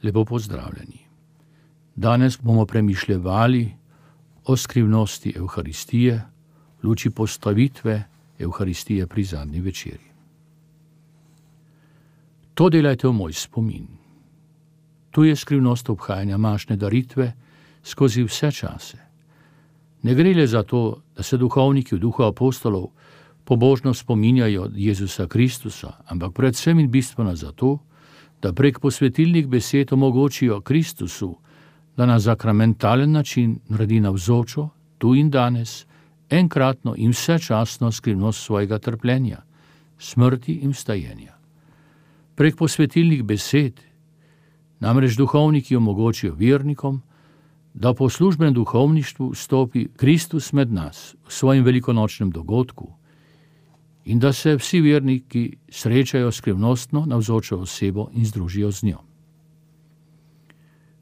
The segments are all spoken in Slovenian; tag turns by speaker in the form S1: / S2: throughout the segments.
S1: Lepo pozdravljeni. Danes bomo premišljevali o skrivnosti Evharistije, v luči postavitve Evharistije pri zadnji večerji. To delajte v moj spomin. Tu je skrivnost obhajanja mašne daritve skozi vse čase. Ne gre le za to, da se duhovniki v duhu apostolov pobožno spominjajo Jezusa Kristusa, ampak predvsem in bistveno zato, da prek posvetilnih besed omogočijo Kristusu, da na sakramentalen način naredi navzočo, tu in danes, enkratno in vsečasno skrivnost svojega trpljenja, smrti in vstajenja. Prek posvetilnih besed namreč duhovniki omogočijo vernikom, da po službenem duhovništvu stopi Kristus med nas v svojem velikonočnem dogodku in da se vsi verniki srečajo skrivnostno navzočo osebo in združijo z njo.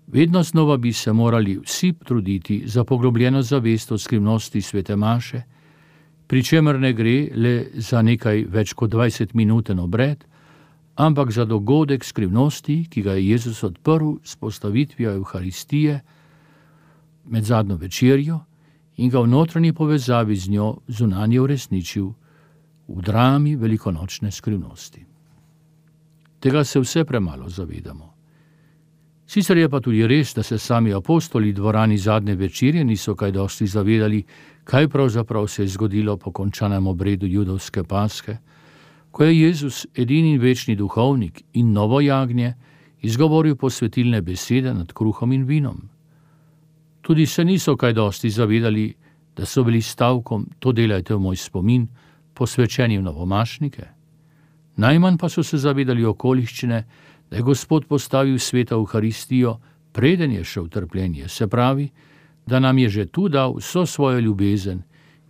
S1: Vedno znova bi se morali vsi truditi za poglobljeno zavest o skrivnosti svete maše, pri čemer ne gre le za nekaj več kot 20-minuten obred, ampak za dogodek skrivnosti, ki ga je Jezus odprl s postavitvijo Evharistije med zadnjo večerjo in ga v notranji povezavi z njo zunanje uresničil v drami velikonočne skrivnosti. Tega se vse premalo zavedamo. Sicer je pa tudi res, da se sami apostoli v dvorani zadnje večerje niso kaj dosti zavedali, kaj pravzaprav se je zgodilo po končanem obredu judovske paske, ko je Jezus, edini in večni duhovnik in novo jagnje, izgovoril posvetilne besede nad kruhom in vinom. Tudi se niso kaj dosti zavedali, da so bili stavkom "to delajte v moj spomin" posvečeni v novomašnike. Najmanj pa so se zavedali okoliščine, da je Gospod postavil sveto Evharistijo, preden je šel v trpljenje, se pravi, da nam je že tu dal vso svojo ljubezen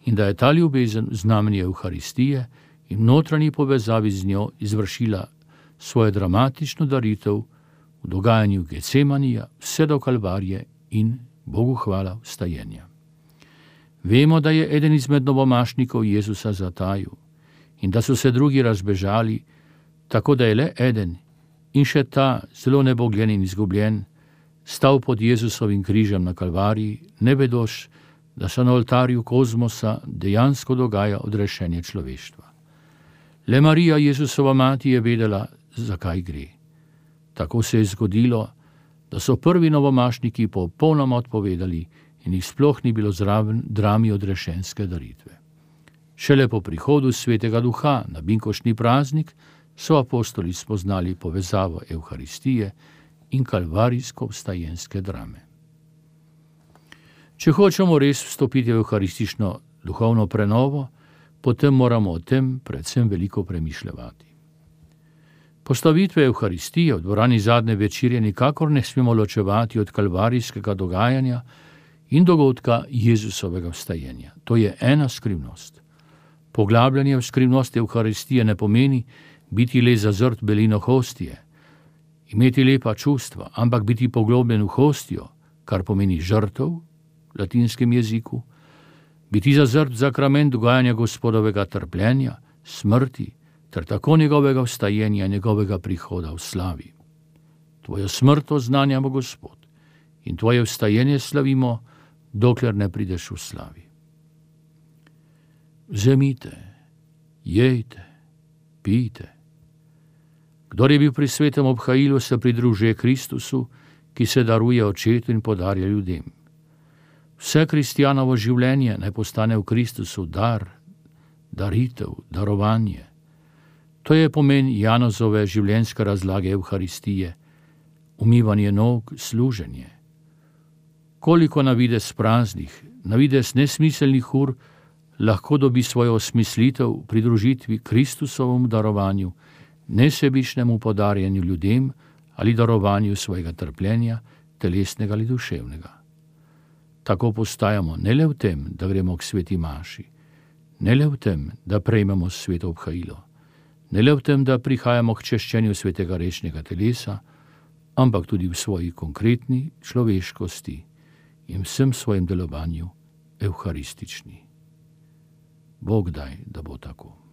S1: in da je ta ljubezen znamenje Evharistije in v notranji povezavi z njo izvršila svojo dramatično daritev v dogajanju Getsemanija vse do Kalvarije in Bogu hvala vstajenja. Vemo, da je eden izmed novomašnikov Jezusa zatajil in da so se drugi razbežali, tako da je le eden in še ta zelo nebogljen in izgubljen stal pod Jezusovim križem na Kalvariji, ne vedoč, da se na oltarju kozmosa dejansko dogaja odrešenje človeštva. Le Marija, Jezusova mati, je vedela, zakaj gre. Tako se je zgodilo, da so prvi novomašniki popolnoma odpovedali in jih sploh ni bilo zraven drami odrešenske daritve. Šele po prihodu svetega duha na binkoštni praznik so apostoli spoznali povezavo Evharistije in kalvarijsko vstajenske drame. Če hočemo res vstopiti v evharistično duhovno prenovo, potem moramo o tem predvsem veliko premišljevati. Postavitve Evharistije v dvorani zadnje večerje nikakor ne smemo ločevati od kalvarijskega dogajanja in dogodka Jezusovega vstajenja. To je ena skrivnost. Poglabljanje v skrivnost Evharistije ne pomeni biti le zazrt belino hostije, imeti lepa čustva, ampak biti poglobljen v hostijo, kar pomeni žrtev v latinskem jeziku, biti zazrt v sakrament dogajanja Gospodovega trpljenja, smrti, ter tako njegovega vstajenja, njegovega prihoda v slavi. Tvojo smrt oznanjamo, Gospod, in tvoje vstajenje slavimo, dokler ne prideš v slavi. Vzemite, jejte, pijte. Kdor je bil pri svetem obhajilu, se pridružuje Kristusu, ki se daruje očetu in podarja ljudem. Vse kristjanovo življenje naj postane v Kristusu dar, daritev, darovanje. To je pomen Janozove življenjske razlage Evharistije, umivanje nog, služenje. Koliko navidez praznih, navidez nesmiselnih ur lahko dobi svojo osmislitev v pridružitvi Kristusovemu darovanju, nesebičnemu podarjanju ljudem ali darovanju svojega trpljenja, telesnega ali duševnega. Tako postajamo ne le v tem, da gremo k sveti maši, ne le v tem, da prejmemo sveto obhajilo, ne le v tem, da prihajamo k češčenju svetega rečnega telesa, ampak tudi v svoji konkretni človeškosti in vsem svojem delovanju evharistični. Bog daj, da bo tako.